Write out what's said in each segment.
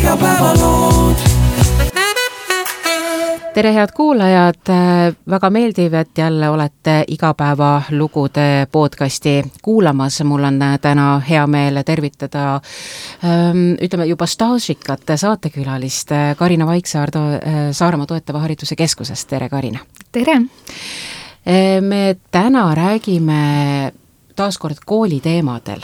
igapäevalood. Tere head kuulajad, väga meeldiv, et jälle olete igapäevalugude podcasti kuulamas. Mul on täna hea meel tervitada ütleme juba staažikat saatekülalist Karina Vaiksaar Saaremaa toetava hariduse keskusest. Tere Karina! Tere! Me täna räägime taaskord kooliteemadel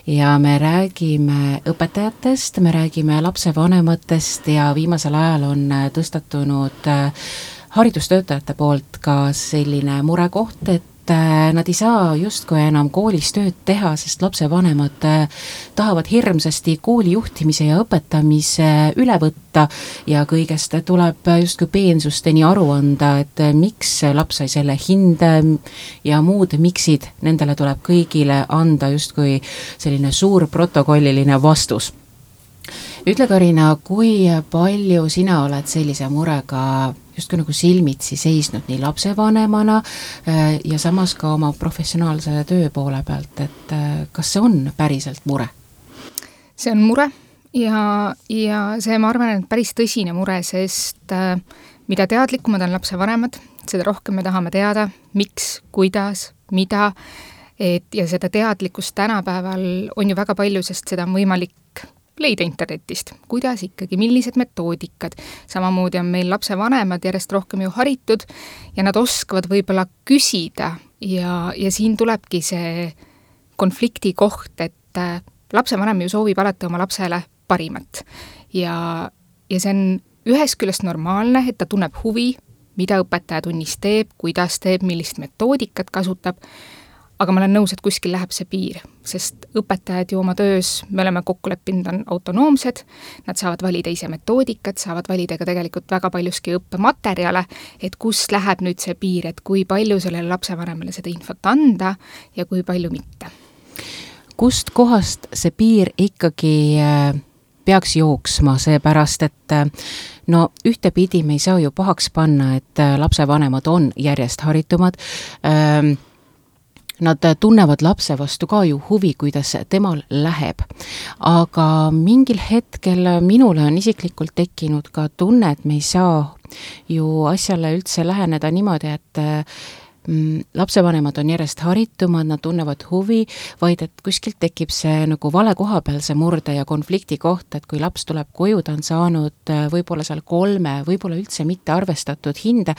ja me räägime õpetajatest, me räägime lapsevanematest ja viimasel ajal on tõstatunud haridustöötajate poolt ka selline murekoht, et nad ei saa justkui enam koolis tööd teha, sest lapsevanemad tahavad hirmsasti kooli juhtimise ja õpetamise üle võtta ja kõigest tuleb justkui peensusteni aru anda, et miks laps sai selle hinde ja muud miksid, nendele tuleb kõigile anda justkui selline suur protokolliline vastus. Ütle Karina, kui palju sina oled sellise murega justkui nagu silmitsi seisnud nii lapsevanemana ja samas ka oma professionaalse töö poole pealt, et kas see on päriselt mure? See on mure ja see, ma arvan, et päris tõsine mure, sest mida teadlikumad on lapsevanemad, seda rohkem me tahame teada, miks, kuidas, mida, ja seda teadlikkust tänapäeval on ju väga palju, sest seda on võimalik leida internetist, kuidas ikkagi, millised metoodikad. Samamoodi on meil lapsevanemad järjest rohkem ju haritud ja nad oskavad võib-olla küsida ja siin tulebki see konflikti koht, et lapsevanem ju soovib alati oma lapsele parimat. Ja see on ühest küljest normaalne, et ta tunneb huvi, mida õpetaja tunnis teeb, kuidas teeb, millist metoodikat kasutab, aga ma olen nõus, et kuskil läheb see piir, sest õpetajad ju oma töös, me oleme kokku leppinud, on autonoomsed, nad saavad valida ise metoodikat, saavad valida ka tegelikult väga paljuski õppematerjale, et kus läheb nüüd see piir, et kui palju sellele lapsevanemale seda infot anda ja kui palju mitte. Kust kohast see piir ikkagi peaks jooksma, seepärast, et no ühtepidi me ei saa ju pahaks panna, et lapsevanemad on järjest haritumad, nad tunnevad lapse vastu ka ju huvi, kuidas temal läheb. Aga mingil hetkel minule on isiklikult tekkinud ka tunne, et me ei saa ju asjale üldse läheneda niimoodi, et lapsevanemad on järjest haritumad, nad tunnevad huvi, vaid et kuskilt tekib see nagu vale koha peal see murde ja konflikti koht, et kui laps tuleb koju, ta on saanud võib-olla seal 3, võib-olla üldse mitte arvestatud hinde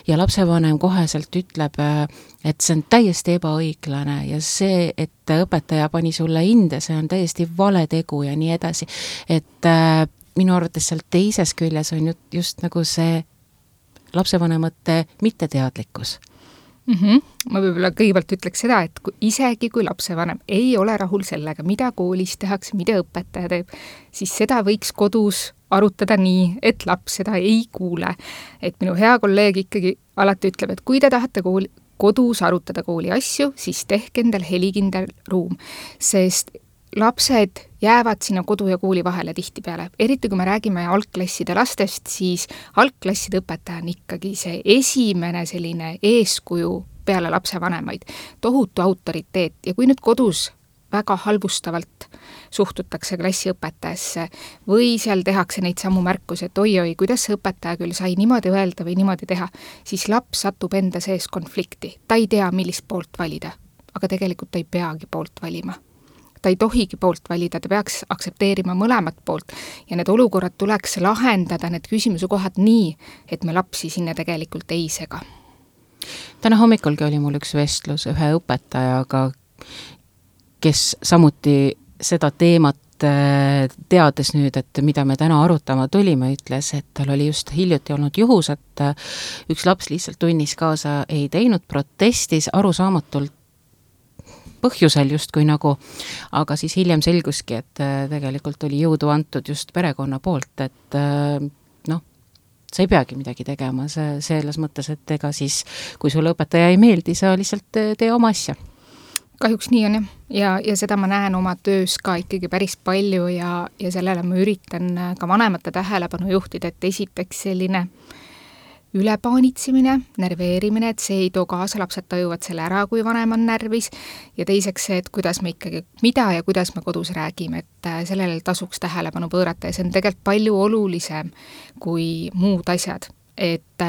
ja lapsevanem koheselt ütleb, et see on täiesti ebaõiglane ja see, et õpetaja pani sulle hinde, see on täiesti vale tegu ja nii edasi. Et minu arvates seal teises küljes on just nagu see lapsevanemate mitteteadlikkus. Ma võib-olla kõigepealt ütleks seda, et isegi kui lapsevanem ei ole rahul sellega, mida koolis tehakse, mida õpetaja teeb, siis seda võiks kodus arutada nii, et laps seda ei kuule. Et minu hea kolleeg ikkagi alati ütleb, et kui te tahate kodus arutada kooli asju, siis tehke endal helikindel ruum, sest lapsed jäävad sinna kodu ja kooli vahele tihtipeale. Eriti kui me räägime algklasside lastest, siis algklasside õpetaja on ikkagi see esimene selline eeskuju peale lapsevanemaid. Tohutu autoriteet ja kui nüüd kodus väga halvustavalt suhtutakse klassiõpetajasse või seal tehakse neid samu märkusi, et oi, kuidas see õpetaja küll sai niimoodi öelda või niimoodi teha, siis laps satub enda sees konflikti. Ta ei tea, millist poolt valida, aga tegelikult ta ei peagi poolt valima. Ta ei tohigi poolt valida, ta peaks aksepteerima mõlemat poolt ja need olukorrad tuleks lahendada, need küsimuse kohad nii, et me lapsi sinna tegelikult ei sega. Täna hommikulgi oli mul üks vestlus ühe õpetajaga, kes samuti seda teemat teades nüüd, et mida me täna arutama tulime, ütles, et tal oli just hiljuti olnud juhus, et üks laps lihtsalt tunnis kaasa ei teinud, protestis arusaamatult põhjusel justkui nagu, aga siis hiljem selguski, et tegelikult oli jõudu antud just perekonna poolt, et sa ei peagi midagi tegema, selles mõttes, et ega siis, kui sulle õpetaja ei meeldi, sa lihtsalt tee oma asja. Kahjuks nii on ja seda ma näen oma töös ka ikkagi päris palju ja sellele ma üritan ka vanemate tähelepanu juhtida, et esiteks selline ülepaanitsemine, nerveerimine, et see ei too kaasa, lapsed tajuvad selle ära, kui vanem on närvis, ja teiseks see, et kuidas me ikkagi, mida ja kuidas me kodus räägime, et sellele tasuks tähelepanu pöörata ja see on tegelikult palju olulisem kui muud asjad, et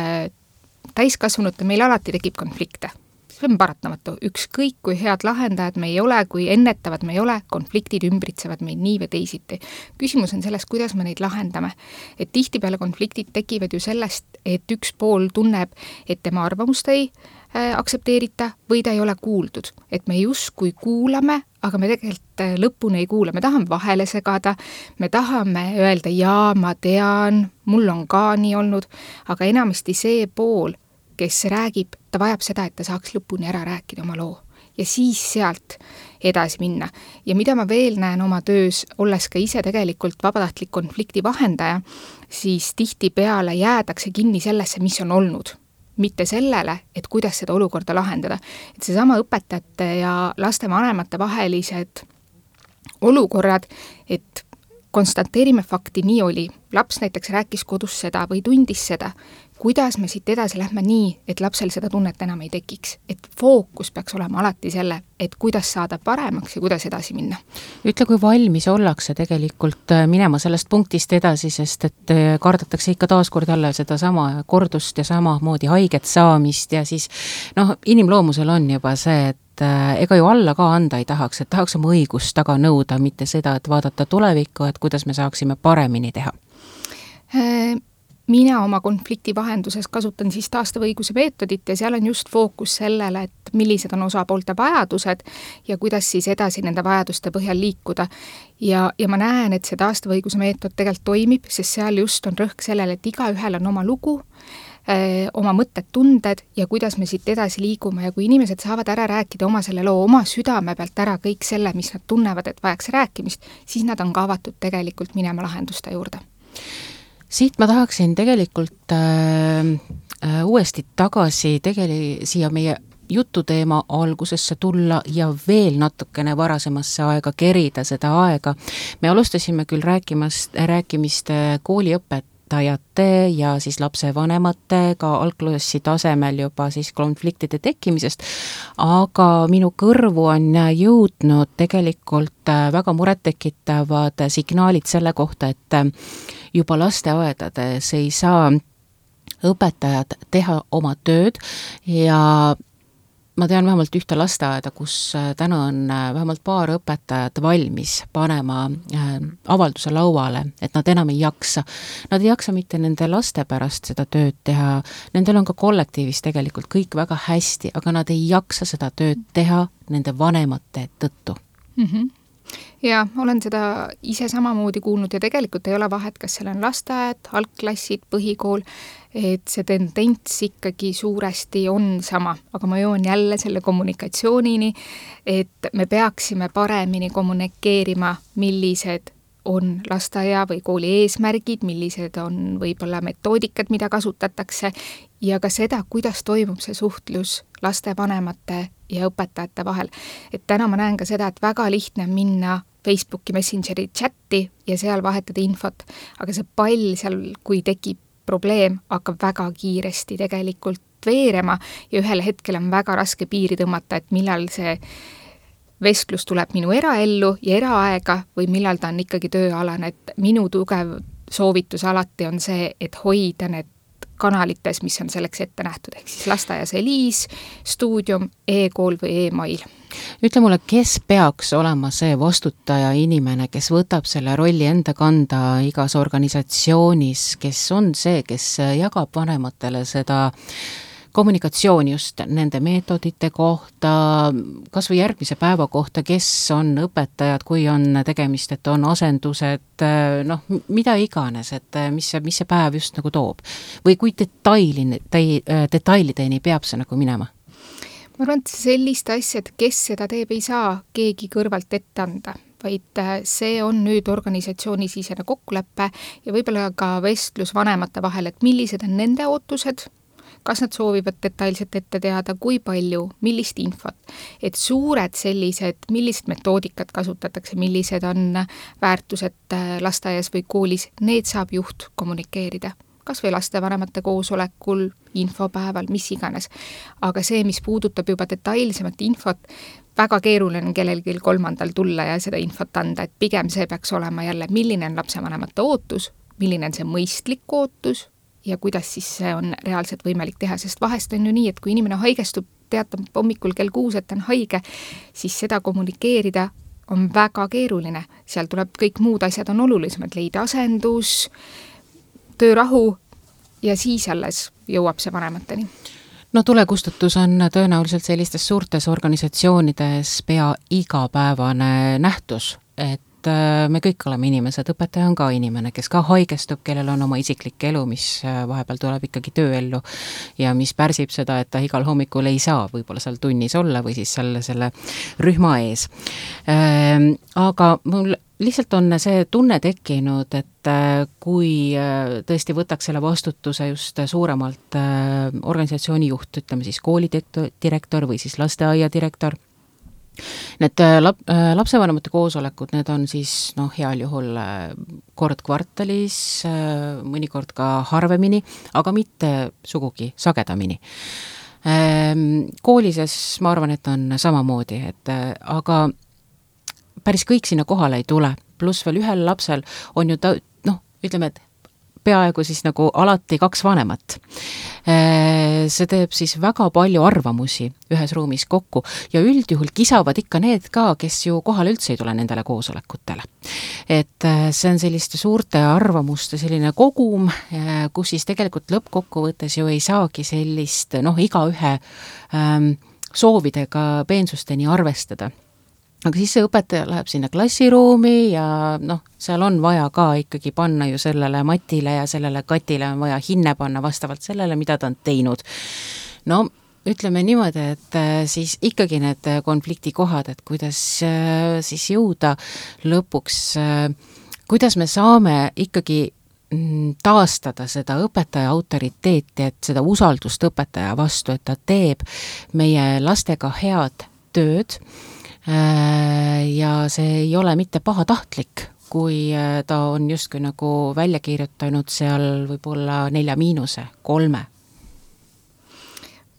täiskasvanute meil alati tekib konflikte. See on paratamatu, ükskõik kui head lahendajad me ei ole, kui ennetavad me ei ole, konfliktid ümbritsevad meid nii või teisiti. Küsimus on selles, kuidas me neid lahendame. Et tihtipeale konfliktid tekivad ju sellest, et üks pool tunneb, et tema arvamust ei aktsepteerita või ta ei ole kuuldud. Et me justkui kuulame, aga me tegelikult lõpuni ei kuula. Me tahame vahele segada, me tahame öelda, jaa, ma tean, mul on ka nii olnud, aga enamasti see pool, kes räägib, ta vajab seda, et ta saaks lõpuni ära rääkida oma loo ja siis sealt edasi minna. Ja mida ma veel näen oma töös, olles ka ise tegelikult vabatahtlik konflikti vahendaja, siis tihtipeale jäädakse kinni sellesse, mis on olnud. Mitte sellele, et kuidas seda olukorda lahendada. Et seesama õpetajate ja laste vanemate vahelised olukorrad, et konstateerime fakti, nii oli. Laps näiteks rääkis kodus seda või tundis seda. Kuidas me siit edasi lähme nii, et lapsel seda tunnet enam ei tekiks? Et fookus peaks olema alati selle, et kuidas saada paremaks ja kuidas edasi minna. Ütle, kui valmis ollakse tegelikult minema sellest punktist edasi, sest et kardetakse ikka taaskord jälle seda sama kordust ja samamoodi haiget saamist ja siis inimloomusel on juba see, et ega ju alla ka anda ei tahaks, et tahaks oma õigust taga nõuda, mitte seda, et vaadata tulevikku, et kuidas me saaksime paremini teha. Mina oma konflikti vahenduses kasutan siis taastavõiguse meetodit ja seal on just fookus sellele, et millised on osapoolte vajadused ja kuidas siis edasi nende vajaduste põhjal liikuda. Ja ma näen, et see taastavõiguse meetod tegelikult toimib, sest seal just on rõhk sellele, et igaühel on oma lugu, oma mõtted, tunded ja kuidas me siit edasi liigume ja kui inimesed saavad ära rääkida oma selle loo, oma südame pealt ära kõik selle, mis nad tunnevad, et vajaks rääkimist, siis nad on ka avatud tegelikult minema lahenduste juurde. Siit ma tahaksin tegelikult uuesti tagasi siia meie jututeema algusesse tulla ja veel natukene varasemasse aega kerida seda aega. Me alustasime küll rääkimist kooliõpetajate ja siis lapsevanematega algklassi tasemel juba siis konfliktide tekkimisest, aga minu kõrvu on jõudnud tegelikult väga murettekitavad signaalid selle kohta, et juba lasteaedades ei saa õpetajad teha oma tööd ja ma tean vähemalt ühte lasteaeda, kus täna on vähemalt paar õpetajat valmis panema avalduse lauale, et nad enam ei jaksa. Nad ei jaksa mitte nende laste pärast seda tööd teha, nendel on ka kollektiivis tegelikult kõik väga hästi, aga nad ei jaksa seda tööd teha nende vanemate tõttu. Ja olen seda ise samamoodi kuulnud ja tegelikult ei ole vahet, kas seal on lasteaed, algklassid, põhikool, et see tendents ikkagi suuresti on sama, aga ma joon jälle selle kommunikatsioonini, et me peaksime paremini kommunikeerima, millised on lasteaia või kooli eesmärgid, millised on võib-olla metoodikad, mida kasutatakse ja ka seda, kuidas toimub see suhtlus lastevanemate ja õpetajate vahel. Et täna ma näen ka seda, et väga lihtne on minna Facebooki Messengeri chatti ja seal vahetada infot, aga see pall seal, kui tekib probleem, hakkab väga kiiresti tegelikult veerema ja ühel hetkel on väga raske piiri tõmmata, et millal see vestlus tuleb minu eraellu ja eraaega või millal ta on ikkagi tööalane, et minu tugev soovitus alati on see, et hoida need kanalites, mis on selleks ette nähtud, ehk siis lasteaias Eliis, stuudium, e-kool või e-mail. Ütle mulle, kes peaks olema see vastutaja inimene, kes võtab selle rolli enda kanda igas organisatsioonis, kes on see, kes jagab vanematele seda kommunikatsiooni just nende meetodite kohta, kas või järgmise päeva kohta, kes on õpetajad, kui on tegemist, et on asendused, mida iganes, et mis see päev just nagu toob. Või kui detailideni peab see nagu minema? Ma arvan, et sellist asja, et kes seda teeb, ei saa keegi kõrvalt ette anda, vaid see on nüüd organisatsioonisisene kokkulepe ja võib-olla ka vestlus vanemate vahel, et millised on nende ootused, kas nad soovivad detailselt ette teada, kui palju, millist infot. Et suured sellised, millised metoodikad kasutatakse, millised on väärtused lasteaias või koolis, need saab juht kommunikeerida. kas või lastevanemate koosolekul, infopäeval, mis iganes. Aga see, mis puudutab juba detailsemat infot, väga keeruline on kellelgi kolmandal tulla ja seda infot anda, et pigem see peaks olema jälle, milline on lapsevanemate ootus, milline on see mõistlik ootus ja kuidas siis see on reaalselt võimalik teha, sest vahest on ju nii, et kui inimene haigestub, teatab hommikul kell 6, et ta on haige, siis seda kommunikeerida on väga keeruline. Seal tuleb kõik muud asjad on olulisemad, leida asendus, töörahu ja siis alles jõuab see vanemateni. No tulekustutus on tõenäoliselt sellistes suurtes organisatsioonides pea igapäevane nähtus, et me kõik oleme inimesed, õpetaja on ka inimene, kes ka haigestub, kellel on oma isiklik elu, mis vahepeal tuleb ikkagi tööellu ja mis pärsib seda, et ta igal hommikul ei saa võib-olla seal tunnis olla või siis selle rühma ees. Aga mul lihtsalt on see tunne tekkinud, et kui tõesti võtaks selle vastutuse just suuremalt organisatsiooni juht, ütleme siis koolidirektor või siis lasteaia direktor, need lapsevanemate koosolekud, need on siis heal juhul kord kvartalis, mõnikord ka harvemini, aga mitte sugugi sagedamini. Koolises ma arvan, et on samamoodi, aga päris kõik sinna kohale ei tule, pluss veel ühel lapsel on ju ütleme, et peaaegu siis nagu alati 2 vanemat. See teeb siis väga palju arvamusi ühes ruumis kokku ja üldjuhul kisavad ikka need ka, kes ju kohale üldse ei tule nendele koosolekutele. Et see on selliste suurte arvamuste selline kogum, kus siis tegelikult lõppkokkuvõttes ju ei saagi sellist igaühe soovidega peensusteni arvestada. Aga siis see õpetaja läheb sinna klassiruumi ja seal on vaja ka ikkagi panna ju sellele matile ja sellele katile on vaja hinne panna vastavalt sellele, mida ta on teinud. Ütleme niimoodi, et siis ikkagi need konfliktikohad, et kuidas siis jõuda lõpuks, kuidas me saame ikkagi taastada seda õpetaja autoriteeti, et seda usaldust õpetaja vastu, et ta teeb meie lastega head tööd, ja see ei ole mitte pahatahtlik, kui ta on justkui nagu välja kirjutanud seal võib-olla 4 –, 3.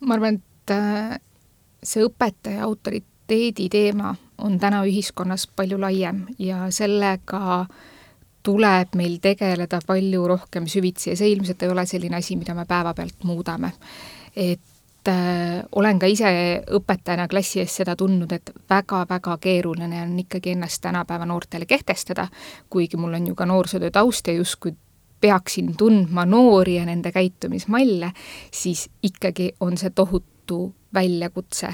Ma arvan, et see õpetaja autoriteedi teema on täna ühiskonnas palju laiem ja sellega tuleb meil tegeleda palju rohkem süvitsi ja see ilmselt ei ole selline asi, mida me päevapealt muudame. Et olen ka ise õpetajana klassi ees seda tundnud, et väga-väga keeruline on ikkagi ennast tänapäeva noortele kehtestada, kuigi mul on ju ka noorsootöö taust ja justkui peaksin tundma noori ja nende käitumismalle, siis ikkagi on see tohutu väljakutse.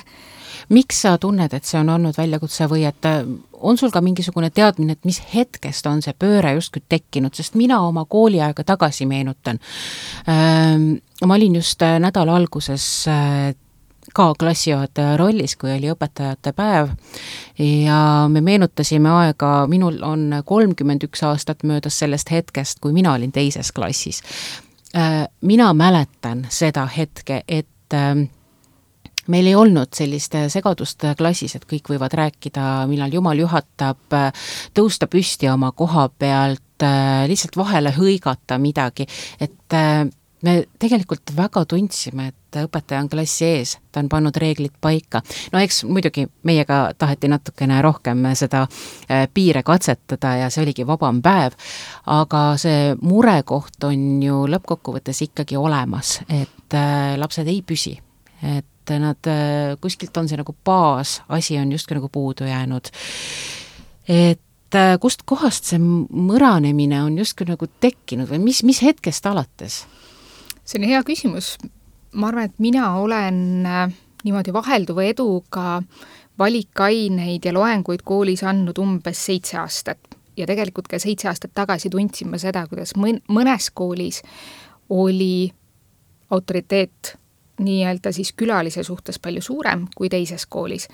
Miks sa tunned, et see on olnud väljakutse või et on sul ka mingisugune teadmine, et mis hetkest on see pööre justkui tekkinud, sest mina oma kooliaega tagasi meenutan. Ma olin just nädala alguses ka klassijuhataja rollis, kui oli õpetajate päev ja me meenutasime aega, minul on 31 aastat möödas sellest hetkest, kui mina olin 2. klassis. Mina mäletan seda hetke, et meil ei olnud sellist segadust klassis, et kõik võivad rääkida, millal Jumal juhatab, tõusta püsti oma koha pealt, lihtsalt vahele hõigata midagi, et me tegelikult väga tundsime, et õpetaja on klassi ees, ta on pannud reeglid paika. Eks muidugi meiega taheti natukene rohkem seda piire katsetada ja see oligi vabam päev, aga see murekoht on ju lõppkokkuvõttes ikkagi olemas, et lapsed ei püsi, et nad kuskilt on see nagu baas, asi on justkui nagu puudu jäänud. Et kust kohast see mõranemine on justkui nagu tekkinud või mis hetkest alates? See on hea küsimus. Ma arvan, et mina olen niimoodi vahelduva eduga valikaineid ja loenguid koolis andnud umbes 7 aastat. Ja tegelikult ka 7 aastat tagasi tundsin ma seda, kuidas mõnes koolis oli autoriteet nii-öelda siis külalise suhtes palju suurem kui teises koolis.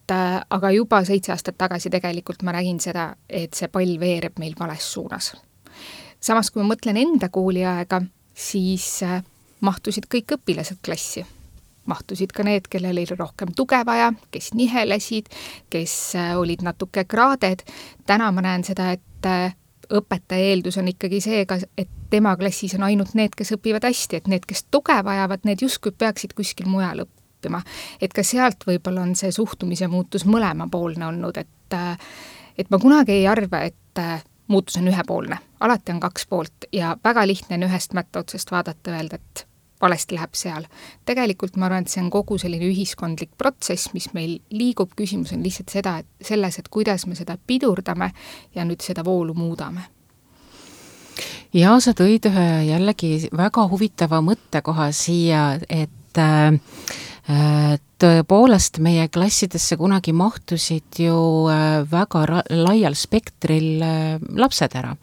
Aga juba 7 aastat tagasi tegelikult ma nägin seda, et see pall veereb meil vales suunas. Samas, kui ma mõtlen enda kooliaega, siis mahtusid kõik õpilased klassi. Mahtusid ka need, kellel oli rohkem tuge vaja, kes nihelesid, kes olid natuke kraaded. Täna ma näen seda, et õpetaja eeldus on ikkagi see, et tema klassis on ainult need, kes õpivad hästi, et need, kes tuge vajavad, need justkui peaksid kuskil mujal õppima. Et ka sealt võib-olla on see suhtumise muutus mõlemapoolne olnud, et ma kunagi ei arva, et muutus on ühepoolne. Alati on kaks poolt ja väga lihtne on ühest mätta otsest vaadata, öelda, et valesti läheb seal. Tegelikult ma arvan, et see on kogu selline ühiskondlik protsess, mis meil liigub. Küsimus on lihtsalt selles, et kuidas me seda pidurdame ja nüüd seda voolu muudame. Ja sa tõid ühe jällegi väga huvitava mõttekoha siia, et tõepoolest meie klassidesse kunagi mahtusid ju väga laial spektril lapsed ära.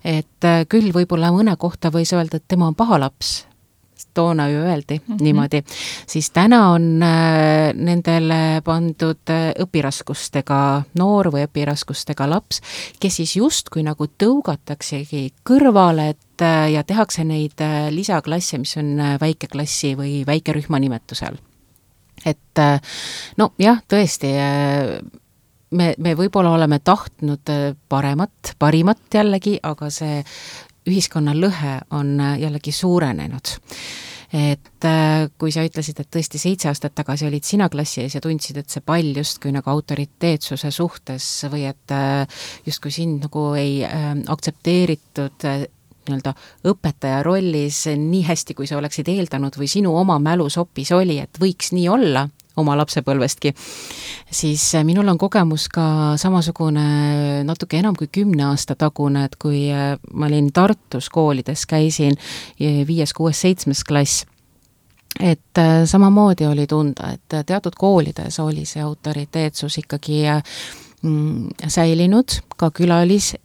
Et küll võib-olla mõne kohta võis öelda, et tema on paha laps, toona ju öeldi niimoodi, siis täna on nendele pandud õpiraskustega noor või õpiraskustega laps, kes siis justkui nagu tõugataksegi kõrvale, ja tehakse neid lisaklasse, mis on väikeklassi või väikerühma nimetusel. Et no jah, tõesti, me võib-olla oleme tahtnud parimat jällegi, aga see ühiskonna lõhe on jällegi suurenenud. Et kui sa ütlesid, et tõesti 7 aastat tagasi olid sina klassi ees ja tundsid, et see pall justkui nagu autoriteetsuse suhtes või et justkui sind nagu ei aktsepteeritud nii-öelda õpetaja rollis nii hästi, kui sa oleksid eeldanud või sinu oma mälus hoopis oli, et võiks nii olla oma lapsepõlvestki, siis minul on kogemus ka samasugune natuke enam kui 10 aasta tagune, et kui ma olin Tartus koolides, käisin 5., 6., 7. klass, et samamoodi oli tunda, et teatud koolides oli see autoriteetsus ikkagi säilinud, ka külalis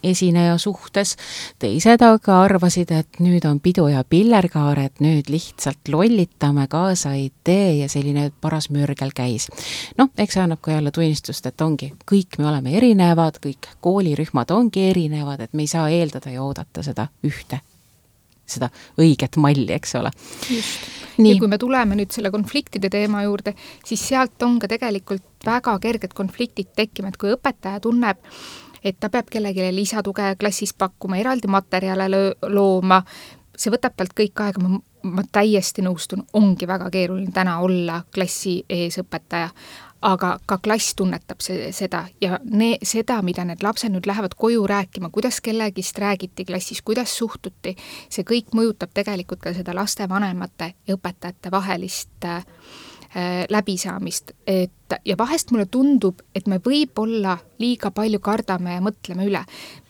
esineja suhtes, teised aga arvasid, et nüüd on pidu ja pillerkaar, et nüüd lihtsalt lollitame, kaasa ei tee ja selline paras mürgel käis. Noh, eks see annab ka jälle tunnistust, et ongi, kõik me oleme erinevad, kõik koolirühmad ongi erinevad, et me ei saa eeldada ja oodata seda õiget malli, eks ole. Just. Nii. Ja kui me tuleme nüüd selle konfliktide teema juurde, siis sealt on ka tegelikult väga kerged konfliktid tekkima, et kui õpetaja tunneb, et ta peab kellelegi lisatuge klassis pakkuma, eraldi materjale looma, see võtab talt kõik aega, ma täiesti nõustun, ongi väga keeruline täna olla klassi ees õpetaja, aga ka klass tunnetab seda ja seda, mida need lapsed nüüd lähevad koju rääkima, kuidas kellegist räägiti klassis, kuidas suhtuti, see kõik mõjutab tegelikult ka seda lastevanemate ja õpetajate vahelist läbisaamist, ja vahest mulle tundub, et me võib-olla liiga palju kardame ja mõtleme üle.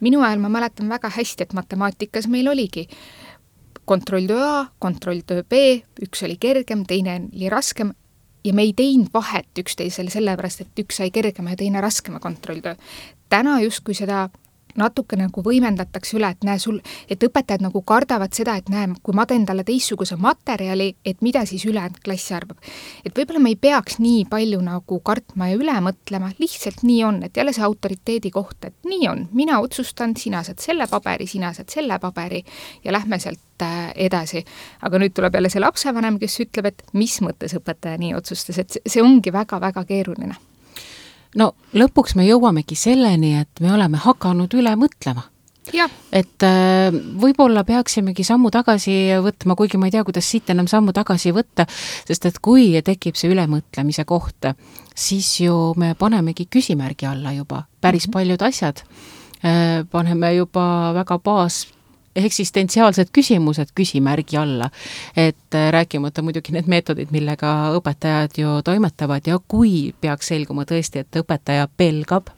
Minu ajal ma mäletan väga hästi, et matemaatikas meil oligi kontrolltöö A, kontrolltöö B, üks oli kergem, teine oli raskem ja me ei teinud vahet üksteisele sellepärast, et üks sai kergema ja teine raskema kontrolltöö. Täna justkui seda natuke nagu võimendatakse üle, et õpetajad nagu kardavad seda, et näe, kui ma teen talle teistsuguse materjali, et mida siis ülejäänud klass arvab. Et võib-olla me ei peaks nii palju nagu kartma ja üle mõtlema, lihtsalt nii on, et jälle see autoriteedi koht, et nii on, mina otsustan, sina saad selle paberi ja lähme sealt edasi. Aga nüüd tuleb jälle see lapsevanem, kes ütleb, et mis mõttes õpetaja nii otsustas, et see ongi väga-väga keeruline. No lõpuks me jõuamegi selleni, et me oleme hakanud üle mõtlema. Ja. Et võib-olla peaksimegi sammu tagasi võtma, kuigi ma ei tea, kuidas siit enam sammu tagasi võtta, sest et kui tekib see ülemõtlemise koht, siis ju me panemegi küsimärgi alla juba päris paljud asjad. Paneme juba väga eksistentsiaalsed küsimused küsimärgi alla, et rääkimata muidugi need meetodid, millega õpetajad ju toimetavad ja kui peaks selguma tõesti, et õpetaja pelgab,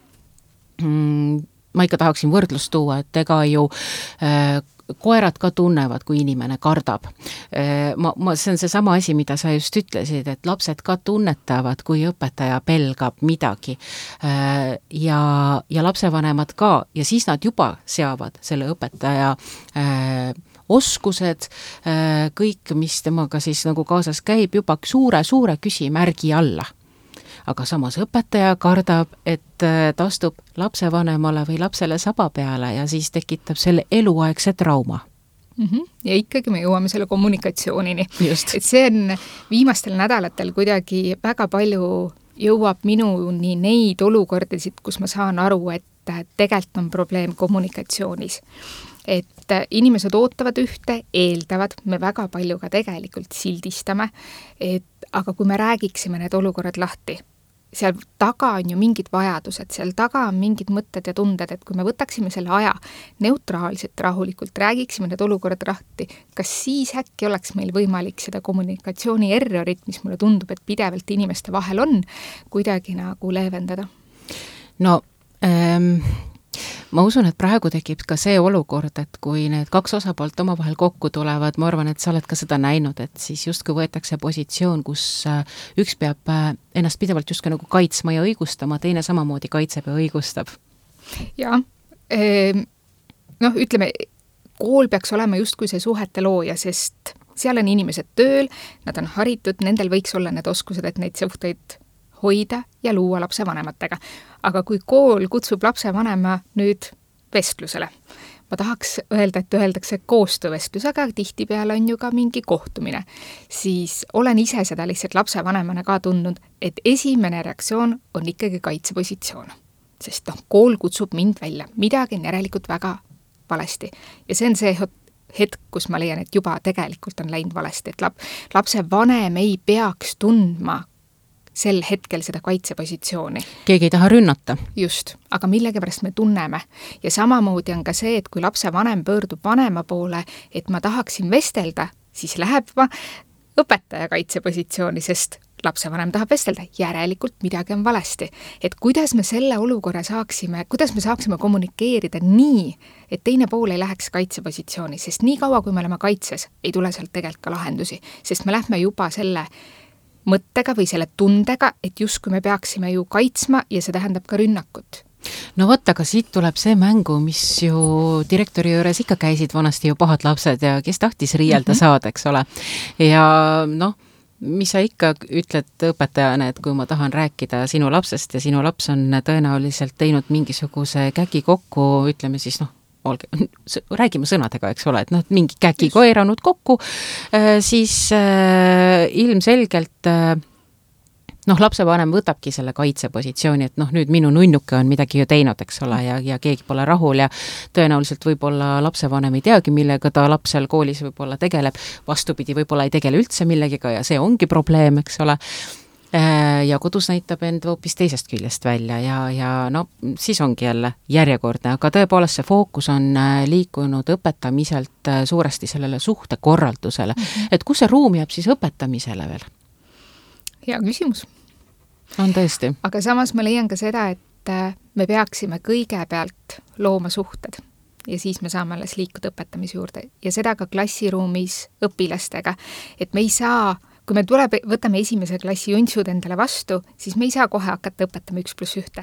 ma ikka tahaksin võrdlust tuua, et ega ju koerad ka tunnevad, kui inimene kardab. See on see sama asi, mida sa just ütlesid, et lapsed ka tunnetavad, kui õpetaja pelgab midagi ja lapsevanemad ka ja siis nad juba seavad selle õpetaja oskused, kõik, mis temaga siis nagu kaasas käib, juba suure küsimärgi alla. Aga samas õpetaja kardab, et ta astub lapsevanemale või lapsele saba peale ja siis tekitab selle eluaegse trauma. Ja ikkagi me jõuame selle kommunikatsioonini. Just. Et see on viimastel nädalatel kuidagi väga palju jõuab minuni neid olukordasid, kus ma saan aru, et tegelikult on probleem kommunikatsioonis. Et inimesed ootavad ühte, eeldavad, me väga palju ka tegelikult sildistame, aga kui me räägiksime need olukorrad lahti, seal taga on ju mingid vajadused, seal taga on mingid mõtted ja tunded, et kui me võtaksime selle aja neutraalselt, rahulikult, räägiksime need olukorrad lahti, kas siis äkki oleks meil võimalik seda kommunikatsiooni errorit, mis mulle tundub, et pidevalt inimeste vahel on, kuidagi nagu leevendada? No ma usun, et praegu tekib ka see olukord, et kui need kaks osapoolt omavahel kokku tulevad, ma arvan, et sa oled ka seda näinud, et siis justkui võetakse positsioon, kus üks peab ennast pidevalt justkui nagu kaitsma ja õigustama, teine samamoodi kaitseb ja õigustab. Jaa, ütleme, kool peaks olema justkui see suhete looja, sest seal on inimesed tööl, nad on haritud, nendel võiks olla need oskused, et neid suhteid hoida ja luua lapsevanematega. Aga kui kool kutsub lapsevanema nüüd vestlusele, ma tahaks öelda, et öeldakse koostöövestlus, aga tihtipeale on ju ka mingi kohtumine, siis olen ise seda lihtsalt lapsevanemana ka tundnud, et esimene reaktsioon on ikkagi kaitsepositsioon. Sest kool kutsub mind välja, midagi on järelikult väga valesti. Ja see on see hetk, kus ma leian, et juba tegelikult on läinud valesti, et lapsevanem ei peaks tundma sel hetkel seda kaitsepositsiooni. Keegi ei taha rünnata. Just, aga millegipärast me tunneme. Ja samamoodi on ka see, et kui lapsevanem pöördub vanema poole, et ma tahaksin vestelda, siis läheb õpetaja kaitsepositsiooni, sest lapsevanem tahab vestelda. Järelikult midagi on valesti. Et kuidas me selle olukorra kuidas me saaksime kommunikeerida nii, et teine pool ei läheks kaitsepositsiooni, sest nii kaua, kui me oleme kaitses, ei tule sealt tegelikult ka lahendusi, sest me lähme juba selle mõttega või selle tundega, et justkui me peaksime ju kaitsma ja see tähendab ka rünnakut. No võtta, aga siit tuleb see mängu, mis ju direktori juures ikka käisid vanasti ju pahad lapsed ja kes tahtis riielda saada, eks ole. Ja mis sa ikka ütled õpetajana, et kui ma tahan rääkida sinu lapsest ja sinu laps on tõenäoliselt teinud mingisuguse käki kokku, ütleme siis räägime sõnadega, eks ole, et mingi käki koeranud kokku, siis ilmselgelt lapsevanem võtabki selle kaitsepositsiooni, et nüüd minu nunnuke on midagi ju teinud, eks ole, ja keegi pole rahul ja tõenäoliselt võib-olla lapsevanem ei teagi, millega ta lapsel koolis võib-olla tegeleb, vastupidi, võib-olla ei tegele üldse millegiga ja see ongi probleem, eks ole. Ja kodus näitab end hoopis teisest küljest välja ja siis ongi jälle järjekordne, aga tõepoolest see fookus on liikunud õpetamiselt suuresti sellele suhtekorraldusele. Et kus see ruum jääb siis õpetamisele veel? Hea küsimus. On tõesti. Aga samas ma leian ka seda, et me peaksime kõigepealt looma suhted ja siis me saame alles liikuda õpetamise juurde ja seda ka klassiruumis õpilastega, et me ei saa kui me võtame esimese klassi juntsud endale vastu, siis me ei saa kohe hakata õpetama 1+1,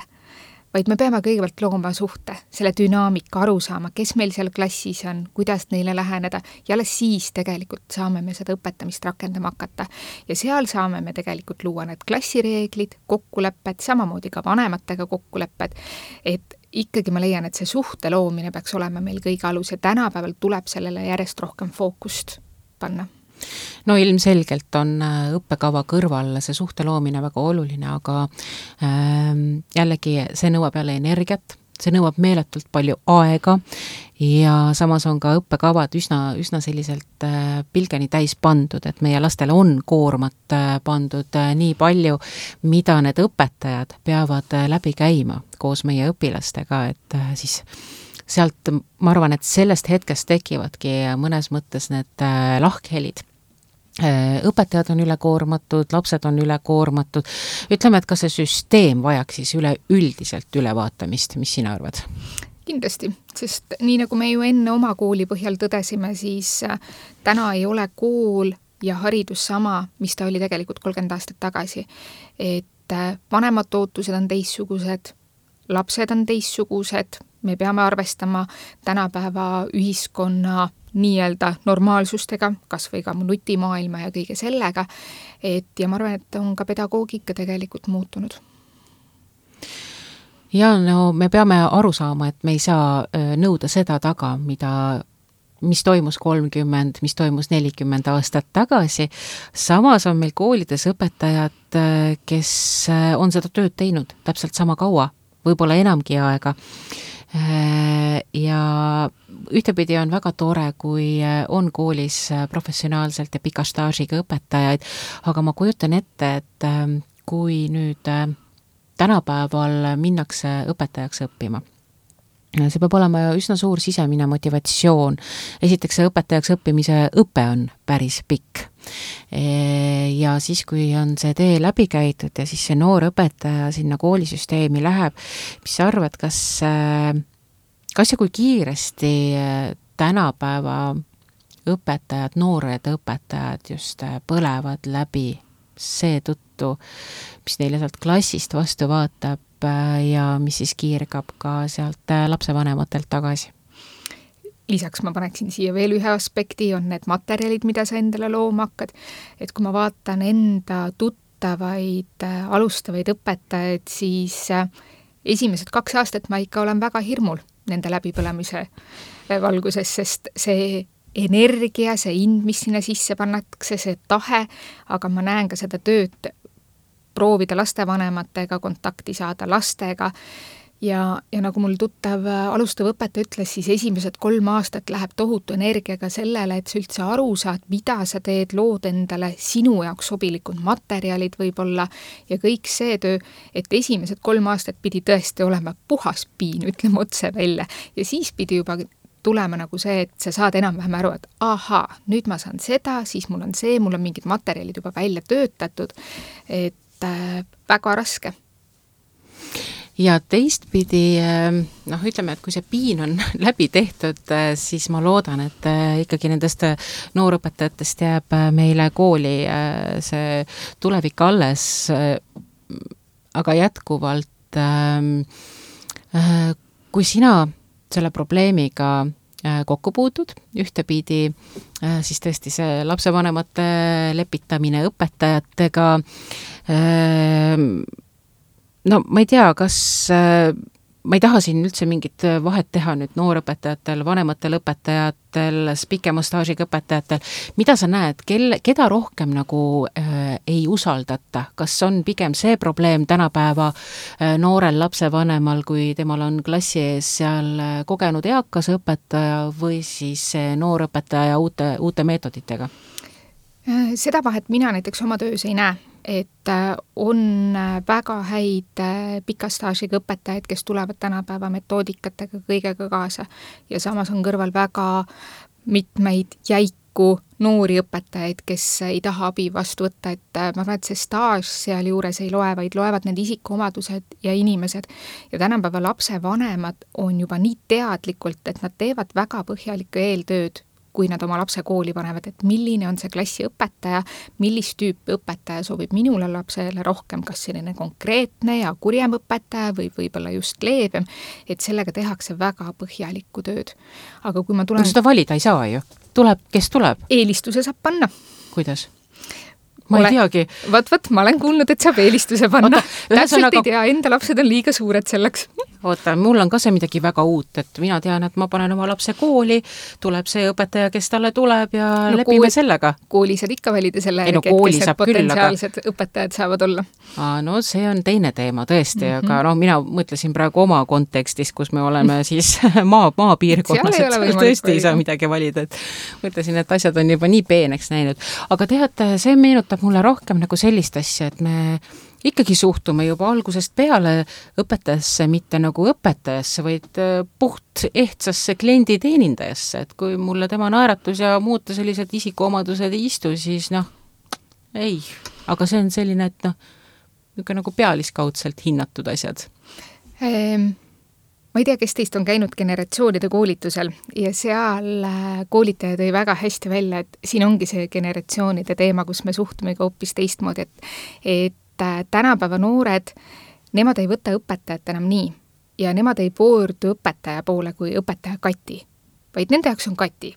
vaid me peame kõigepealt looma suhte, selle dünaamika aru saama, kes meil seal klassis on, kuidas neile läheneda ja alles siis tegelikult saame me seda õpetamist rakendama hakata. Ja seal saame me tegelikult luua need klassireeglid, kokkulepped, samamoodi ka vanematega kokkulepped, et ikkagi ma leian, et see suhte loomine peaks olema meil kõige alus ja tänapäeval tuleb sellele järjest rohkem fookust panna. No ilmselgelt on õppekava kõrval see suhte loomine väga oluline, aga jällegi see nõuab jälle energiat, see nõuab meeletult palju aega ja samas on ka õppekavad üsna selliselt pilgeni täis pandud, et meie lastele on koormat pandud nii palju, mida need õpetajad peavad läbi käima koos meie õpilastega, et siis sealt ma arvan, et sellest hetkest tekivadki mõnes mõttes need lahkhelid. Õpetajad on ülekoormatud, lapsed on ülekoormatud. Ütleme, et ka see süsteem vajaks siis üleüldiselt ülevaatamist, mis sina arvad? Kindlasti, sest nii nagu me ju enne oma kooli põhjal tõdesime, siis täna ei ole kool ja haridus sama, mis ta oli tegelikult 30 aastat tagasi. Et vanemad ootused on teissugused, lapsed on teissugused, me peame arvestama tänapäeva ühiskonna nii-öelda normaalsustega, kas või ka nutimaailma ja kõige sellega, ja ma arvan, et on ka pedagoogika tegelikult muutunud. Ja me peame aru saama, et me ei saa nõuda seda taga, mis toimus 30, mis toimus 40 aastat tagasi. Samas on meil koolides õpetajad, kes on seda tööd teinud täpselt sama kaua võib-olla enamgi aega. Ja ühtepidi on väga tore, kui on koolis professionaalselt ja pika staažiga õpetajaid, aga ma kujutan ette, et kui nüüd tänapäeval minnakse õpetajaks õppima, see peab olema üsna suur sisemine motivatsioon. Esiteks see õpetajaks õppimise õpe on päris pikk. Ja siis, kui on see tee läbi käidud ja siis see noor õpetaja sinna koolisüsteemi läheb, mis sa arvad, kas ja kui kiiresti tänapäeva õpetajad, noored õpetajad just põlevad läbi seetõttu, mis neile sealt klassist vastu vaatab ja mis siis kiirgab ka sealt lapsevanematelt tagasi? Lisaks ma paneksin siia veel ühe aspekti, on need materjalid, mida sa endale looma hakkad. Et kui ma vaatan enda tuttavaid alustavaid õpetajaid, siis esimesed 2 aastat ma ikka olen väga hirmul nende läbipõlemise valguses, sest see energia, see ind, mis sinna sisse pannakse, see tahe, aga ma näen ka seda tööd, proovida lastevanematega, kontakti saada lastega ja nagu mul tuttav alustav õpetaja ütles, siis esimesed 3 aastat läheb tohutu energiaga sellele, et sa üldse aru saad, mida sa teed, lood endale sinu jaoks sobilikud materjalid võib-olla ja kõik see töö, et esimesed 3 aastat pidi tõesti olema puhas piin, ütleme otse välja ja siis pidi juba tulema nagu see, et sa saad enam-vähem aru, et ahaa, nüüd ma saan seda, siis mul on see, mul on mingid materjalid juba välja töötatud, et väga raske. Ja teistpidi, ütleme, et kui see piin on läbi tehtud, siis ma loodan, et ikkagi nendest noorõpetajatest jääb meile kooli see tulevik alles, aga jätkuvalt, kui sina selle probleemiga kokku puutud, ühtepidi siis tõesti see lapsevanemate lepitamine õpetajatega, ma ei tea, kas ma ei taha siin üldse mingit vahet teha nüüd noorõpetajatel, vanematel õpetajatel, pikema staažiga õpetajatel. Mida sa näed, keda rohkem nagu ei usaldata? Kas on pigem see probleem tänapäeva noorel lapsevanemal, kui temal on klassi ees seal kogenud eakas õpetaja või siis noor õpetaja uute meetoditega? Seda vahet mina näiteks oma töös ei näe, et on väga häid pika staažiga õpetajaid, kes tulevad tänapäeva metoodikatega kõigega kaasa ja samas on kõrval väga mitmeid jäiku noori õpetajaid, kes ei taha abi vastu võtta, et ma arvan, et see staaž seal juures ei loe, vaid loevad need isikuomadused ja inimesed ja tänapäeva lapsevanemad on juba nii teadlikult, et nad teevad väga põhjalikku eeltööd, kui nad oma lapse kooli panevad, et milline on see klassi õpetaja, millist tüüpi õpetaja sobib minule lapsele rohkem, kas selline konkreetne ja kurjem õpetaja või võib-olla just leebem, et sellega tehakse väga põhjalikku tööd. Aga kui ma tulen... Seda valida ei saa ju. Kes tuleb? Eelistuse saab panna. Kuidas? Ma ei teagi. Võt, ma olen kuulnud, et saab eelistuse panna. Täpselt ei tea, enda lapsed on liiga suured selleks. Oota, mul on ka see midagi väga uut, et mina tean, et ma panen oma lapse kooli, tuleb see õpetaja, kes talle tuleb ja lepime sellega. Kooli saad ikka valida selle järgi, et kes potentsiaalsed õpetajad saavad olla. No see on teine teema tõesti, aga mina mõtlesin praegu oma kontekstis, kus me oleme siis maapiirkonnas, et tõesti ei saa midagi valida. Et mõtlesin, et asjad on juba nii peeneks näinud. Aga teate, see meenutab mulle rohkem nagu sellist asja, et me ikkagi suhtume juba algusest peale õpetajasse, mitte nagu õpetajasse, vaid puht ehtsasse kliendi teenindajasse, et kui mulle tema naeratus ja muuta sellised isikuomadused ei istu, siis ei. Aga see on selline, et nagu pealiskaudselt hinnatud asjad. Ma ei tea, kes teist on käinud generatsioonide koolitusel ja seal koolitaja tõi väga hästi välja, et siin ongi see generatsioonide teema, kus me suhtume ka hoopis teistmoodi, et tänapäeva noored, nemad ei võta õpetajat enam nii ja nemad ei pöördu õpetaja poole kui õpetaja Kati, vaid nende jaoks on Kati.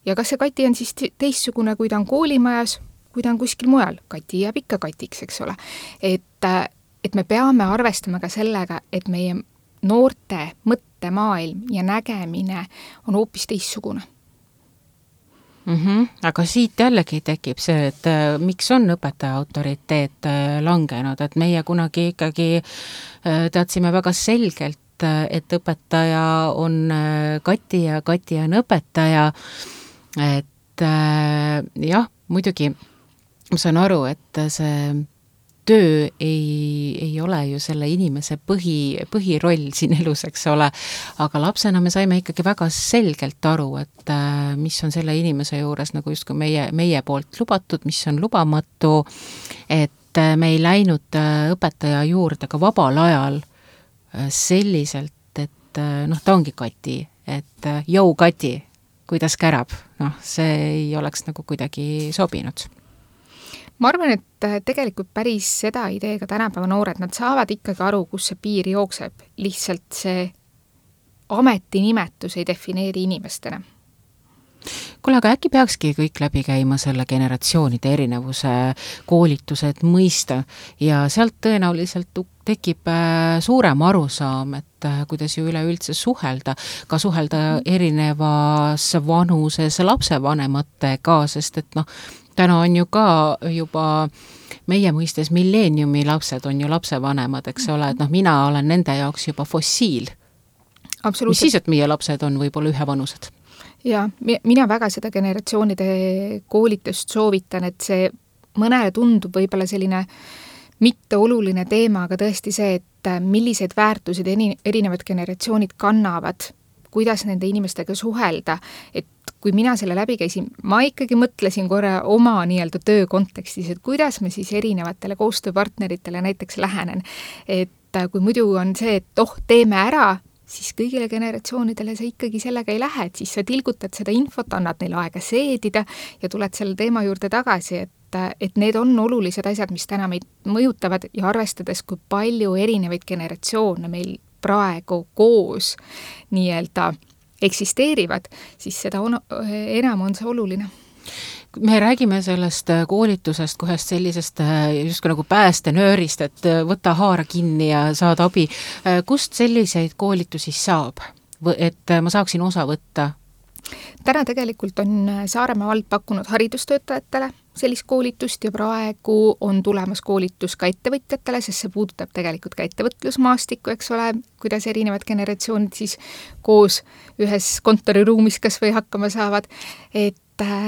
Ja kas see Kati on siis teistsugune, kui ta on koolimajas, kui ta on kuskil mujal? Kati jääb ikka Katiks, eks ole. Et me peame arvestama ka sellega, et meie noorte mõttemaailm ja nägemine on hoopis teistsugune. Aga siit jällegi tekib see, et miks on õpetaja autoriteet langenud, et meie kunagi ikkagi teadsime väga selgelt, et õpetaja on Kati ja Kati on õpetaja, et jah, muidugi ma saan aru, et see töö ei ole ju selle inimese põhiroll siin elus, eks ole, aga lapsena me saime ikkagi väga selgelt aru, et mis on selle inimese juures nagu justkui meie poolt lubatud, mis on lubamatu, et me ei läinud õpetaja juurde ka vabal ajal selliselt, et ta ongi Kati, et jõu Kati, kuidas kärab, see ei oleks nagu kuidagi sobinud. Ma arvan, et tegelikult päris seda ideega tänapäeva noored, nad saavad ikkagi aru, kus see piir jookseb. Lihtsalt see ametinimetus ei defineeri inimestena. Kuule, aga äkki peakski kõik läbi käima selle generatsioonide erinevuse koolitused mõista ja sealt tõenäoliselt tekib suurem arusaam, et kuidas ju üleüldse suhelda, ka suhelda erinevas vanuses lapsevanematega, sest et täna on ju ka juba meie mõistes milleeniumi lapsed on ju lapsevanemad, eks ole, et mina olen nende jaoks juba fossiil. Mis siis, et meie lapsed on võib-olla ühevanused? Ja mina väga seda generatsioonide koolitust soovitan, et see mõnele tundub võib-olla selline mitte oluline teema, aga tõesti see, et millised väärtused erinevad generatsioonid kannavad, kuidas nende inimestega suhelda, et kui mina selle läbi käisin, ma ikkagi mõtlesin korra oma nii-öelda töö kontekstis, et kuidas me siis erinevatele koostööpartneritele näiteks lähenen. Et kui muidu on see, et teeme ära, siis kõigile generatsioonidele sa ikkagi sellega ei lähe, et siis sa tilgutad seda infot, annad neile aega seedida ja tuled selle teema juurde tagasi, et need on olulised asjad, mis täna meid mõjutavad ja arvestades, kui palju erinevaid generatsioone meil praegu koos nii-öelda eksisteerivad, siis seda enam on see oluline. Me räägime sellest koolitusest kohest sellisest justkui nagu päästenöörist, et võta haara kinni ja saad abi. Kust selliseid koolitusi saab, et ma saaksin osa võtta? Täna tegelikult on Saaremaa vald pakkunud haridustöötajatele sellist koolitust ja praegu on tulemas koolitus ka ettevõtjatele, sest see puudutab tegelikult ka ettevõtlusmaastikku, eks ole, kuidas erinevad generatsioonid siis koos ühes kontoriruumis kas või hakkama saavad, et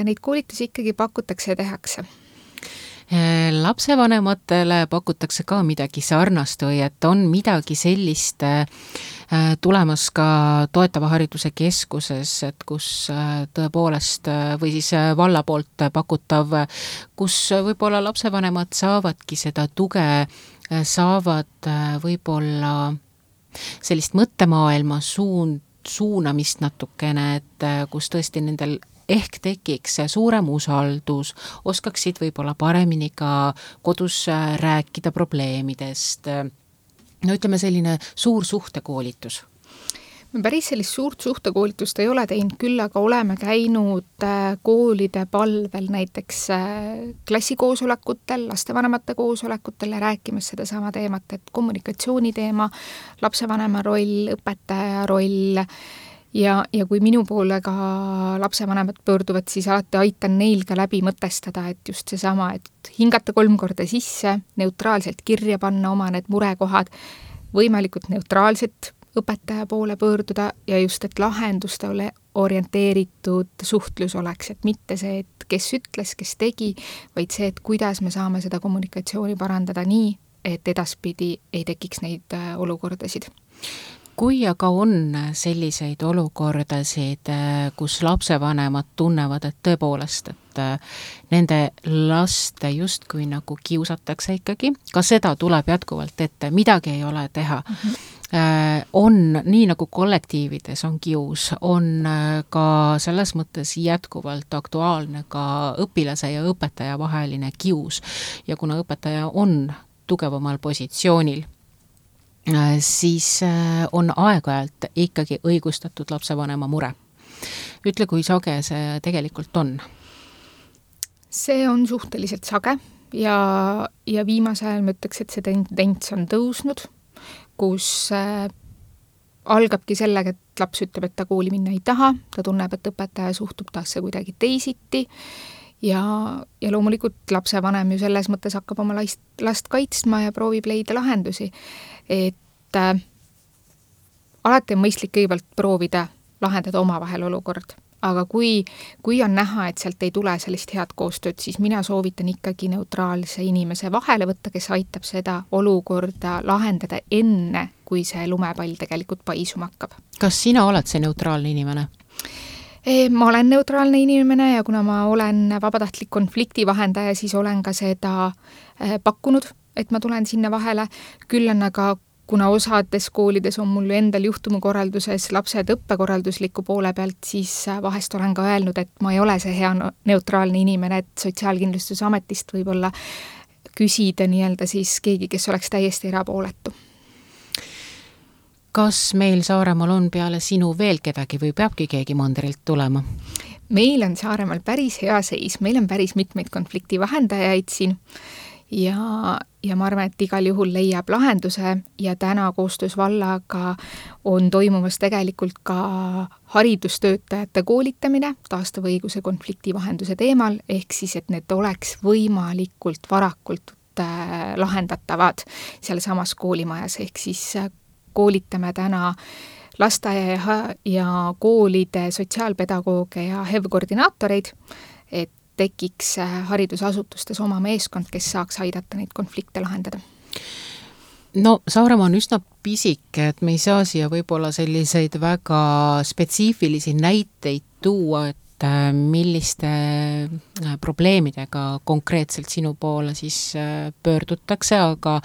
neid koolitusi ikkagi pakutakse ja tehakse. Lapsevanematele pakutakse ka midagi sarnast või et on midagi sellist tulemas ka toetava hariduse keskuses, et kus tõepoolest või siis valla poolt pakutav, kus võib-olla lapsevanemad saavadki seda tuge, saavad võib-olla sellist mõttemaailma suunamist natukene, et kus tõesti nendel ehk tekiks suurem usaldus, oskaksid võib-olla paremini ka kodus rääkida probleemidest. Ütleme selline suur suhtekoolitus. Me päris sellist suurt suhtekoolitust ei ole teinud, küll aga oleme käinud koolide palvel näiteks klassikoosolekutel, lastevanemate koosolekutel ja rääkimas seda sama teemat, et kommunikatsiooni teema, lapsevanema roll, õpetaja roll ja kui minu poole ka lapsevanemad pöörduvad, siis alati aitan neil ka läbi mõtestada, et just seesama, et hingata 3 korda sisse, neutraalselt kirja panna oma need murekohad, võimalikult neutraalselt õpetaja poole pöörduda ja just, et lahendustele orienteeritud suhtlus oleks, et mitte see, et kes ütles, kes tegi, vaid see, et kuidas me saame seda kommunikatsiooni parandada nii, et edaspidi ei tekiks neid olukordasid. Kui aga on selliseid olukordasid, kus lapsevanemad tunnevad, et tõepoolest, et nende laste justkui nagu kiusatakse ikkagi, ka seda tuleb jätkuvalt ette, midagi ei ole teha. On nii nagu kollektiivides on kius, on ka selles mõttes jätkuvalt aktuaalne ka õpilase ja õpetaja vaheline kius ja kuna õpetaja on tugevamal positsioonil, siis on aeg-ajalt ikkagi õigustatud lapsevanema mure. Ütle, kui sage see tegelikult on? See on suhteliselt sage ja viimasel ajal ma ütleks, et see tendents on tõusnud, kus algabki sellega, et laps ütleb, et ta kooli minna ei taha, ta tunneb, et õpetaja suhtub tasse kuidagi teisiti ja loomulikult lapsevanem ju selles mõttes hakkab oma last kaitsma ja proovib leida lahendusi. Et alati on mõistlik kõigepealt proovida lahendada omavahel olukord. Aga kui on näha, et sealt ei tule sellist head koostööd, siis mina soovitan ikkagi neutraalse inimese vahele võtta, kes aitab seda olukorda lahendada enne, kui see lumepall tegelikult paisuma hakkab. Kas sina oled see neutraalne inimene? Ma olen neutraalne inimene ja kuna ma olen vabatahtlik konflikti vahendaja, siis olen ka seda pakkunud, et ma tulen sinna vahele. Küll on aga kuna osades koolides on mul endal juhtumukorralduses lapsed õppekorraldusliku poole pealt, siis vahest olen ka öelnud, et ma ei ole see hea neutraalne inimene, et Sotsiaalkindlustusametist võib-olla küsida nii-öelda siis keegi, kes oleks täiesti erapooletu. Kas meil Saaremaal on peale sinu veel kedagi või peabki keegi mandrilt tulema? Meil on Saaremaal päris hea seis, meil on päris mitmeid konflikti vahendajaid siin ja ma arvan, et igal juhul leiab lahenduse ja täna koostöös vallaga on toimumas tegelikult ka haridustöötajate koolitamine taastava õiguse konflikti vahenduse teemal, ehk siis, et need oleks võimalikult varakult lahendatavad seal samas koolimajas, ehk siis koolitame täna lasteaia ja koolide sotsiaalpedagooge ja HEV-koordinaatoreid, et tekiks haridusasutustes oma meeskond, kes saaks aidata neid konflikte lahendada. No Saaremaa on üsna pisike, et me ei saa siia võib-olla selliseid väga spetsiifilisi näiteid tuua, et milliste probleemidega konkreetselt sinu poole siis pöördutakse, aga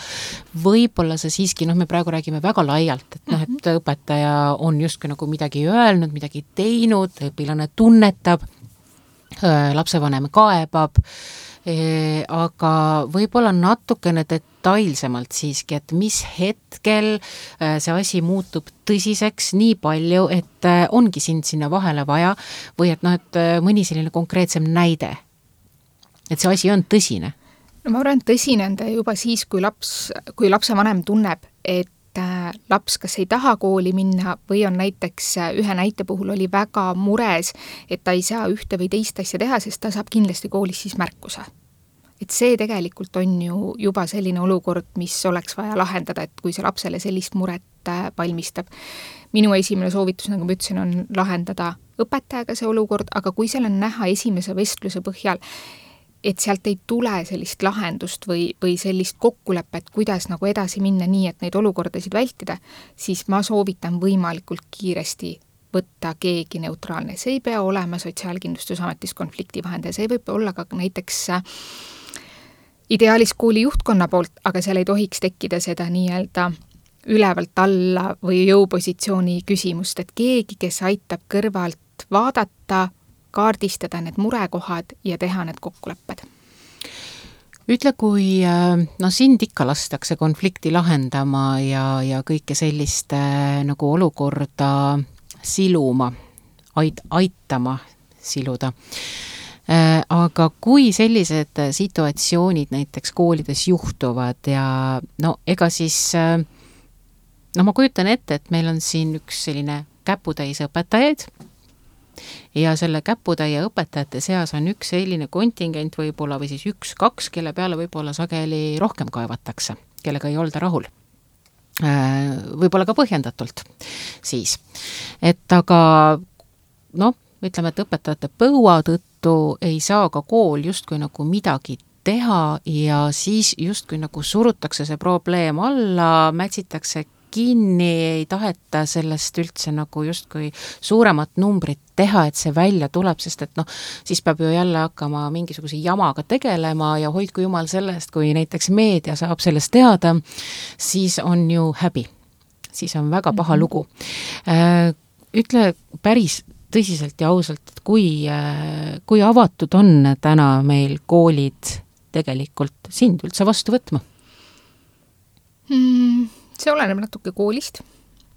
võib-olla see siiski, me praegu räägime väga laialt, et et õpetaja on justkui nagu midagi öelnud, midagi teinud, õpilane tunnetab, lapsevanem kaebab, aga võib-olla natukene detailsemalt siiski, et mis hetkel see asi muutub tõsiseks nii palju, et ongi sind sinna vahele vaja või et et mõni selline konkreetsem näide, et see asi on tõsine? No ma arvan, tõsine on ta juba siis, kui lapsevanem tunneb, et laps kas ei taha kooli minna või on näiteks ühe näite puhul oli väga mures, et ta ei saa ühte või teist asja teha, sest ta saab kindlasti koolis siis märkuse. Et see tegelikult on ju juba selline olukord, mis oleks vaja lahendada, et kui see lapsele sellist muret valmistab. Minu esimene soovitus, nagu ma ütlesin, on lahendada õpetajaga see olukord, aga kui seal on näha esimese vestluse põhjal, et sealt ei tule sellist lahendust või sellist kokkulepet, kuidas nagu edasi minna nii, et neid olukordasid vältida, siis ma soovitan võimalikult kiiresti võtta keegi neutraalne. See ei pea olema Sotsiaalkindlustusametis konflikti vahendaja, see võib olla ka näiteks ideaalis kooli juhtkonna poolt, aga seal ei tohiks tekkida seda nii-öelda ülevalt alla või jõupositsiooni küsimust, et keegi, kes aitab kõrvalt vaadata, kaardistada need murekohad ja teha need kokkulepped. Ütle, kui sind ikka lastakse konflikti lahendama ja kõike sellist nagu olukorda siluma, aitama siluda. Aga kui sellised situatsioonid näiteks koolides juhtuvad ja ega siis ma kujutan ette, et meil on siin üks selline käputäis õpetajaid ja selle käputäie õpetajate seas on üks selline kontingent võib-olla või siis 1-2, kelle peale võib-olla sageli rohkem kaevatakse, kellega ei olda rahul. Võib-olla ka põhjendatult siis. Et aga ütleme, et õpetajate põua tõttu ei saa ka kool justkui nagu midagi teha ja siis justkui nagu surutakse see probleem alla, mätsitakse kinni, ei taheta sellest üldse nagu justkui suuremat numbrit teha, et see välja tuleb, sest et siis peab ju jälle hakkama mingisuguse jamaga tegelema ja hoidku jumal sellest, kui näiteks meedia saab sellest teada, siis on ju häbi. Siis on väga paha lugu. Ütle päris tõsiselt ja ausalt, et kui avatud on täna meil koolid tegelikult sind üldse vastu võtma? See oleneb natuke koolist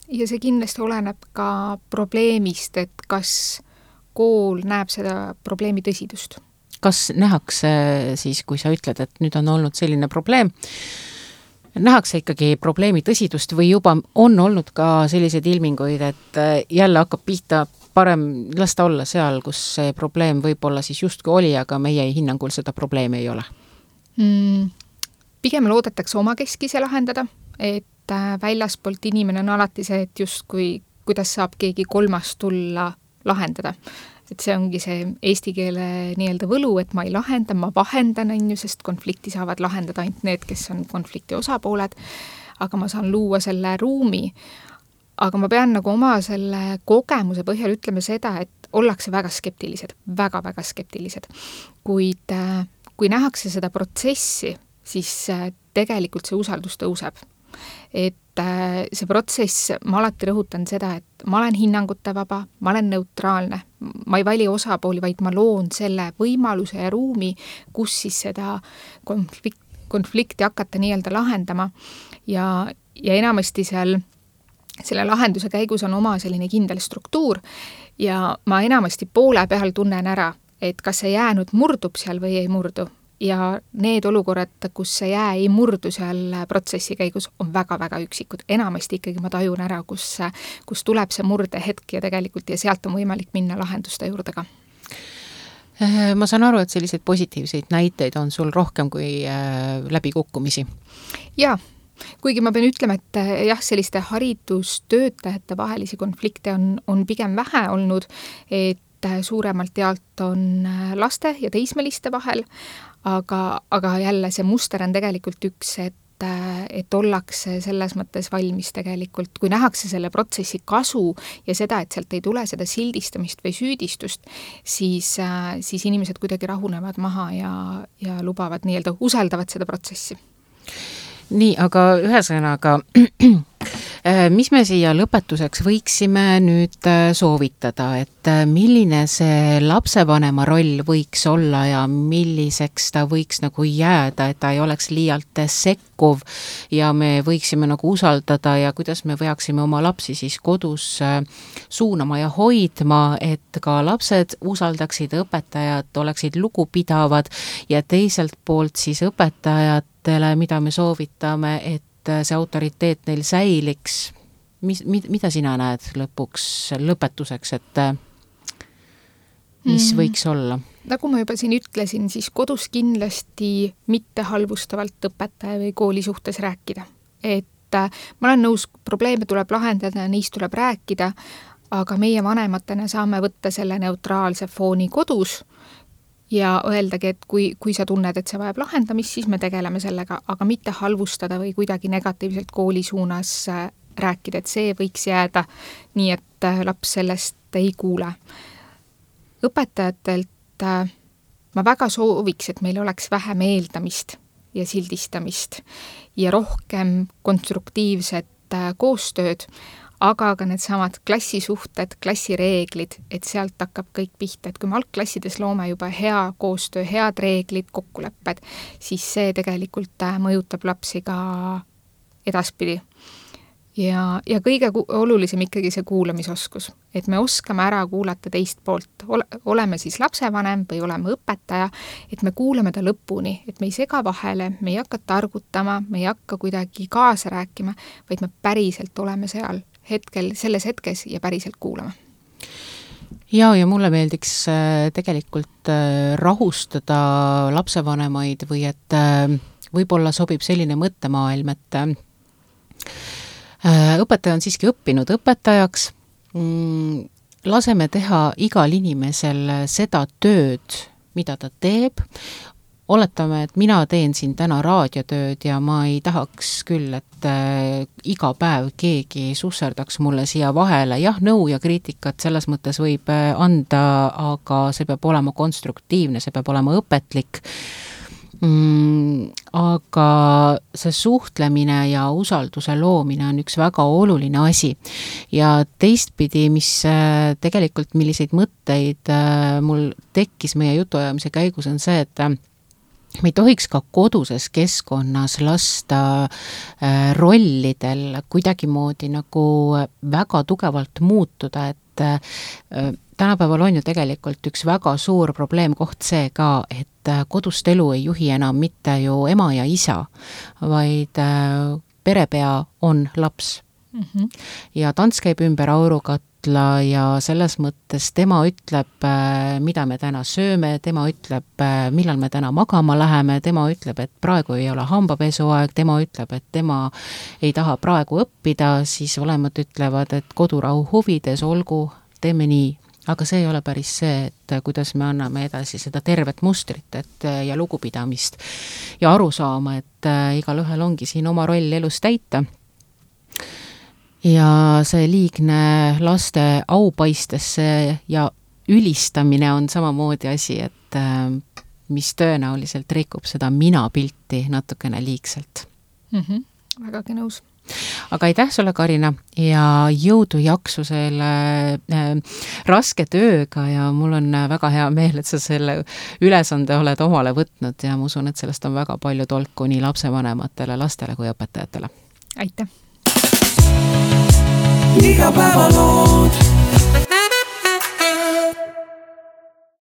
ja see kindlasti oleneb ka probleemist, et kas kool näeb seda probleemi tõsidust. Kas nähakse siis, kui sa ütled, et nüüd on olnud selline probleem, nähakse ikkagi probleemi tõsidust või juba on olnud ka selliseid ilminguid, et jälle hakkab pihta, parem lasta olla seal, kus see probleem võib-olla siis justkui oli, aga meie hinnangul seda probleemi ei ole? Pigem loodetakse omakeskise lahendada, et väljaspoolt inimene on alati see, et justkui kuidas saab keegi kolmas tulla lahendada. Et see ongi see eesti keele nii-öelda võlu, et ma ei lahenda, ma vahendan, sest konflikti saavad lahendada ainult need, kes on konflikti osapooled, aga ma saan luua selle ruumi. Aga ma pean nagu oma selle kogemuse põhjal ütlema seda, et ollakse väga skeptilised, väga-väga skeptilised. Kuid kui nähakse seda protsessi, siis tegelikult see usaldus tõuseb. Et see protsess, ma alati rõhutan seda, et ma olen hinnangute vaba, ma olen neutraalne, ma ei vali osapooli, vaid ma loon selle võimaluse ja ruumi, kus siis seda konflikti hakata nii-öelda lahendama ja enamasti selle lahenduse käigus on oma selline kindel struktuur ja ma enamasti poole peal tunnen ära, et kas see jäänud murdub seal või ei murdu. Ja need olukorrad, kus see jää ei murdu seal protsessi käigus, on väga-väga üksikud. Enamasti ikkagi ma tajun ära, kus tuleb see murdehetk ja tegelikult ja sealt on võimalik minna lahenduste juurde ka. Ma saan aru, et selliseid positiivseid näiteid on sul rohkem kui läbikukkumisi. Jaa, kuigi ma pean ütlema, et jah, selliste haridustöötajate vahelisi konflikte on pigem vähe olnud, et suuremalt jaolt on laste ja teismeliste vahel, aga jälle see muster on tegelikult üks, et ollakse selles mõttes valmis tegelikult, kui nähakse selle protsessi kasu ja seda, et sealt ei tule seda sildistamist või süüdistust, siis inimesed kuidagi rahunevad maha ja lubavad nii-öelda, usaldavad seda protsessi. Nii, aga ühesõnaga, mis me siia lõpetuseks võiksime nüüd soovitada, et milline see lapsevanema roll võiks olla ja milliseks ta võiks nagu jääda, et ta ei oleks liialt sekkuv ja me võiksime nagu usaldada ja kuidas me võiksime oma lapsi siis kodus suunama ja hoidma, et ka lapsed usaldaksid õpetajad, oleksid lugupidavad ja teiselt poolt siis õpetajatele, mida me soovitame, et see autoriteet neil säiliks. Mida sina näed lõpetuseks, et mis võiks olla? Nagu ma juba siin ütlesin, siis kodus kindlasti mitte halvustavalt õpetaja või kooli suhtes rääkida. Et ma olen nõus, probleeme tuleb lahendada, neist tuleb rääkida, aga meie vanematena saame võtta selle neutraalse fooni kodus ja öeldagi, et kui sa tunned, et see vajab lahendamist, siis me tegeleme sellega, aga mitte halvustada või kuidagi negatiivselt kooli suunas rääkida, et see võiks jääda nii, et laps sellest ei kuule. Õpetajatelt ma väga sooviks, et meil oleks vähem eeldamist ja sildistamist ja rohkem konstruktiivset koostööd, aga ka need samad klassisuhted, klassireeglid, et sealt hakkab kõik pihta, et kui me algklassides loome juba hea koostöö, head reeglid, kokkulepped, siis see tegelikult mõjutab lapsi ka edaspidi. Ja kõige olulisem ikkagi see kuulamisoskus, et me oskame ära kuulata teist poolt, oleme siis lapsevanem või oleme õpetaja, et me kuulame ta lõpuni, et me ei sega vahele, me ei hakka targutama, me ei hakka kuidagi kaasa rääkima, vaid me päriselt oleme seal selles hetkes ja päriselt kuulama. Ja mulle meeldiks tegelikult rahustada lapsevanemaid või et võib-olla sobib selline mõttemaailm, et õpetaja on siiski õppinud õpetajaks, laseme teha igal inimesel seda tööd, mida ta teeb, oletame, et mina teen siin täna raadiotööd ja ma ei tahaks küll, et iga päev keegi susserdaks mulle siia vahele. Jah, nõu ja kriitikat selles mõttes võib anda, aga see peab olema konstruktiivne, see peab olema õpetlik. Aga see suhtlemine ja usalduse loomine on üks väga oluline asi. Ja teistpidi, mis tegelikult milliseid mõtteid mul tekkis meie jutuajamise käigus, on see, et me ei tohiks ka koduses keskkonnas lasta rollidel kuidagimoodi nagu väga tugevalt muutuda, et tänapäeval on ju tegelikult üks väga suur probleemkoht see ka, et kodust elu ei juhi enam mitte ju ema ja isa, vaid perepea on laps. Ja tants käib ümber aurukatla ja selles mõttes tema ütleb, mida me täna sööme, tema ütleb, millal me täna magama läheme, tema ütleb, et praegu ei ole hambapesuaeg, tema ütleb, et tema ei taha praegu õppida, siis vanemad ütlevad, et kodurahu huvides olgu, teeme nii. Aga see ei ole päris see, et kuidas me anname edasi seda tervet mustrit ja lugupidamist ja aru saama, et igal ühel ongi siin oma roll elus täita. Ja see liigne laste aupaistesse ja ülistamine on samamoodi asi, et mis tõenäoliselt rikub seda mina-pilti natukene liigselt. Vägagi nõus. Aga aitäh sulle, Karina, ja jõudu jaksu selle raske tööga ja mul on väga hea meel, et sa selle ülesande oled omale võtnud ja ma usun, et sellest on väga palju tolku nii lapsevanematele, lastele kui õpetajatele. Aitäh! Igapäevalood